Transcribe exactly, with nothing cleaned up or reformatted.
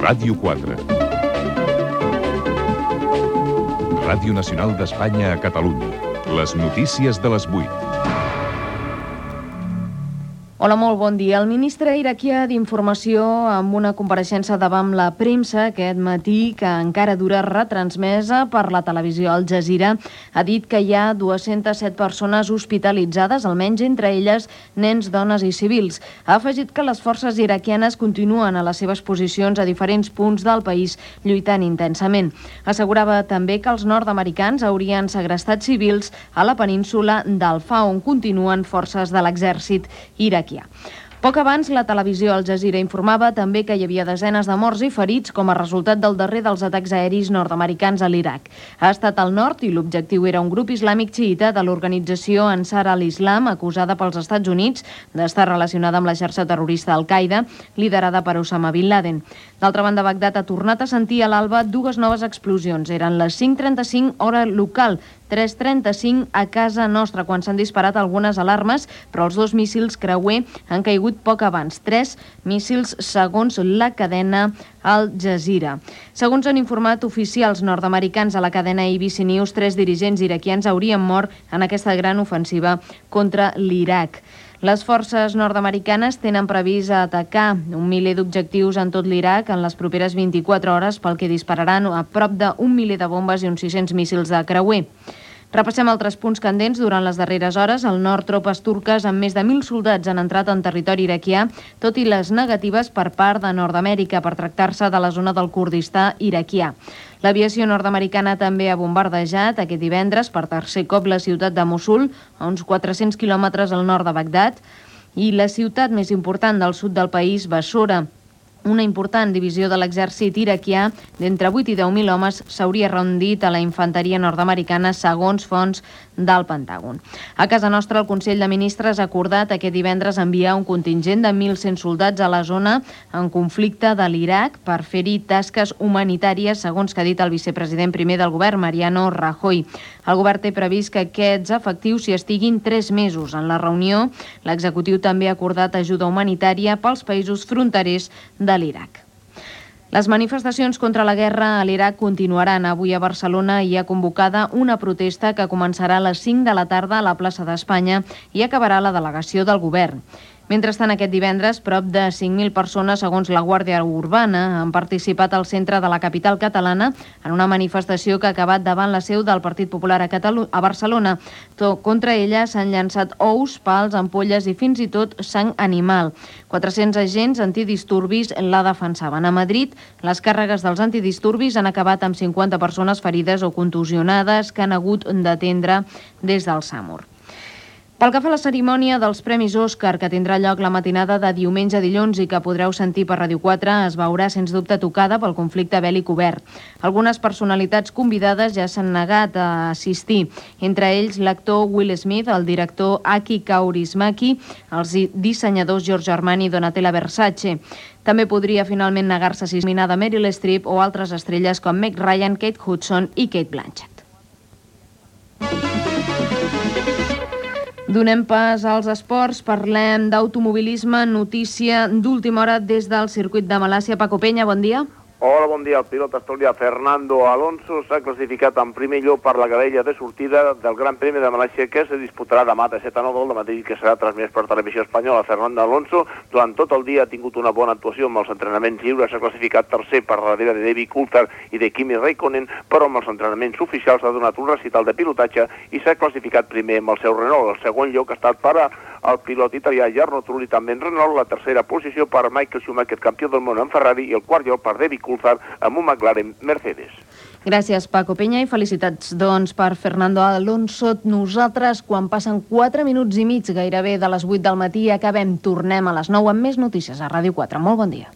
Ràdio quatre. Ràdio Nacional d'Espanya a Catalunya. Les notícies de les vuit. Hola, molt bon dia. El ministre iraquià d'Informació, amb una compareixença davant la premsa aquest matí, que encara dura retransmesa per la televisió Al Jazeera, ha dit que hi ha dues-centes set persones hospitalitzades, almenys entre elles nens, dones i civils. Ha afegit que les forces iraquianes continuen a les seves posicions a diferents punts del país, lluitant intensament. Assegurava també que els nord-americans haurien segrestat civils a la península d'Alfa, on continuen forces de l'exèrcit iraquià. Poc abans, la televisió Al Jazeera informava també que hi havia desenes de morts i ferits com a resultat del darrer dels atacs aeris nord-americans a l'Iraq. Ha estat al nord i l'objectiu era un grup islàmic xiïta de l'organització Ansar al-Islam, acusada pels Estats Units d'estar relacionada amb la xarxa terrorista Al-Qaeda, liderada per Osama Bin Laden. D'altra banda, Bagdad ha tornat a sentir a l'alba dues noves explosions. Eren les cinc trenta-cinc hora local, tres trenta-cinc a casa nostra, quan s'han disparat algunes alarmes, però els dos míssils creuer han caigut poc abans. Tres míssils, segons la cadena Al Jazeera. Segons han informat oficials nord-americans a la cadena A B C News, tres dirigents iraquians haurien mort en aquesta gran ofensiva contra l'Iraq. Les forces nord-americanes tenen previst atacar un miler d'objectius en tot l'Iraq en les properes vint-i-quatre hores, pel que dispararan a prop d'un miler de bombes i uns sis-cents míssils de creuer. Repassem altres punts candents. Durant les darreres hores, al nord, tropes turques amb més de mil soldats han entrat en territori iraquià, tot i les negatives per part de Nord-Amèrica per tractar-se de la zona del Kurdistà iraquià. L'aviació nord-americana també ha bombardejat aquest divendres per tercer cop la ciutat de Mossul, a uns quatre-cents quilòmetres al nord de Bagdad, i la ciutat més important del sud del país, Bassora. Una important divisió de l'exèrcit iraquià d'entre vuit i deu mil homes s'hauria rendit a la infanteria nord-americana, segons fonts del Pentàgon. A casa nostra, el Consell de Ministres ha acordat aquest divendres enviar un contingent de mil cent soldats a la zona en conflicte de l'Iraq per fer-hi tasques humanitàries, segons que ha dit el vicepresident primer del govern, Mariano Rajoy. El govern té previst que aquests efectius s'hi estiguin tres mesos. En la reunió, l'executiu també ha acordat ajuda humanitària pels països fronterers de l'Iraq. Les manifestacions contra la guerra a l'Iraq continuaran. Avui a Barcelona hi ha convocada una protesta que començarà a les cinc de la tarda a la plaça d'Espanya i acabarà a la delegació del govern. Mentrestant, aquest divendres, prop de cinc mil persones, segons la Guàrdia Urbana, han participat al centre de la capital catalana en una manifestació que ha acabat davant la seu del Partit Popular a, Catalu a Barcelona. Contra ella s'han llançat ous, pals, ampolles i fins i tot sang animal. quatre-cents agents antidisturbis la defensaven. A Madrid, les càrregues dels antidisturbis han acabat amb cinquanta persones ferides o contusionades que han hagut d'atendre des del SAMUR. Pel que fa a la cerimònia dels Premis Òscar, que tindrà lloc la matinada de diumenge a dilluns i que podreu sentir per Ràdio quatre, es veurà sens dubte tocada pel conflicte bèl·lic obert. Algunes personalitats convidades ja s'han negat a assistir, entre ells l'actor Will Smith, el director Aki Kaurismäki, els dissenyadors Giorgio Armani i Donatella Versace. També podria finalment negar-se a assistir a Meryl Streep o altres estrelles com Meg Ryan, Kate Hudson i Kate Blanchett. Donem pas als esports, parlem d'automobilisme, notícia d'última hora des del circuit de Malàcia. Paco Peña, bon dia. Hola, bon dia. El pilot asturià Fernando Alonso s'ha classificat en primer lloc per la graella de sortida del Gran Premi de Malàcia, que se disputarà demà de set a nou del matí, que serà transmès per Televisió Espanyola. Fernando Alonso durant tot el dia ha tingut una bona actuació amb els entrenaments lliures, s'ha classificat tercer per darrere de David Coulthard i de Kimi Räikkönen, però amb els entrenaments oficials ha donat un recital de pilotatge i s'ha classificat primer amb el seu Renault. El segon lloc ha estat per al pilot italià Jarno Trulli, també en Renault, la tercera posició per Michael Schumacher, campió del món en Ferrari, i el quart lloc per David Coulthard amb un McLaren Mercedes. Gràcies, Paco Peña, i felicitats, doncs, per Fernando Alonso. Nosaltres, quan passen quatre minuts i mig gairebé de les vuit del matí, acabem, tornem a les nou amb més notícies a Ràdio quatre. Molt bon dia.